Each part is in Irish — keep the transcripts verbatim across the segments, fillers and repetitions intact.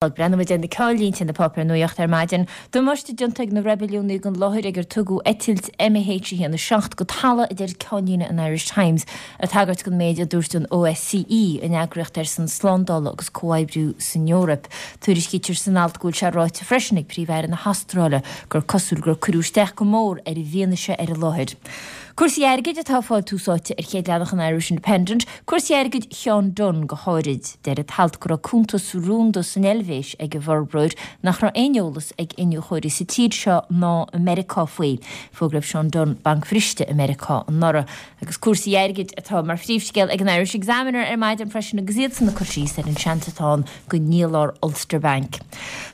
Breathnóidh muid ar na ceannlínte na páipéir nuachta ar maidin. Damáiste déanta ag na reibiliúnaigh don láthair ar ar tugadh eitilt M H a haon a seacht go talamh, a deir ceannlíne an Irish Times, ag tagairt don méid a dúirt an O S C E, an eagraíocht ar son slándála agus comhoibriú san Eoraip. Tuairiscítear san alt go bhfuil sé ráite freisin ag Príomh-Aire na hAstráile gur cosúil gur cuireadh isteach go mór ar an bhfianaise ar an láthair. Cúrsaí airgid atá ag fáil tús áite ar chéad leathanach an Irish Independent, cúrsaí airgid Sheán Dunne go háirid. Deir an t-alt go raibh cuntas rúnda san Eilvéis ag an bhforbróir nach raibh aon eolas ag iniúchóirí sa tír seo ná i Meiriceá faoi. Fógraíodh Seán Dunne bancbhriste i Meiriceá anuraidh. Agus cúrsaí airgid atá mar phríomhscéal ag an Irish Examiner ar maidin freisin agus iad san ag cur síos ar an seans atá ann go ndíolfar Ulster Bank.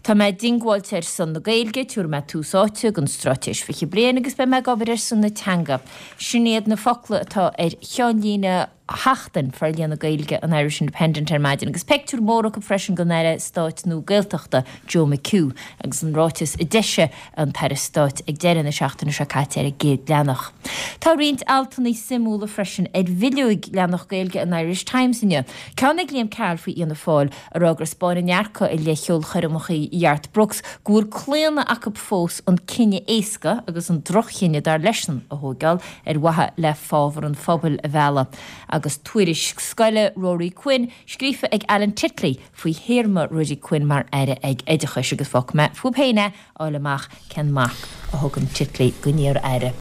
Tá mé diongbháilte ar son na Gaeilge, tabharfaidh mé tús áite don straitéis fiche bliain agus beidh mé ag obair ar son na teanga. Sin iad na focla atá ar cheannlíne Sheachtain Forlíonadh Gaeilge an Irish Independent ar maidin, agus pictiúr mór acu freisin den Aire Stáit nua Gaeltachta Joe McHugh agus an ráiteas a d'eisigh an tAire Stáit ag deireadh na seachtaine seo caite ar an gcéad leathanach. Tá roinnt altanna suimiúla freisin ar bhileog leathanach Gaeilge an Irish Times inniu. Ceann ag Liam Carroll faoi Fhianna Fáil, ag rá gur thaispeáin a ndearcadh i leith cheolchoirmeacha Gharth Brooks go bhfuil claonadh acu fós an cinneadh éasca agus an drochchinneadh dar leisean a thógáil ar mhaithe le fábhar an phobail a mhealladh. Agus tuairisc scoile Rory Quinn scríofa ag Alan Titley faoi théarma Ruairí Quinn mar aire ag oideachais agus fágfaidh mé fúibh féin é fháil amach cén marc a thugann Titley don iar-aire.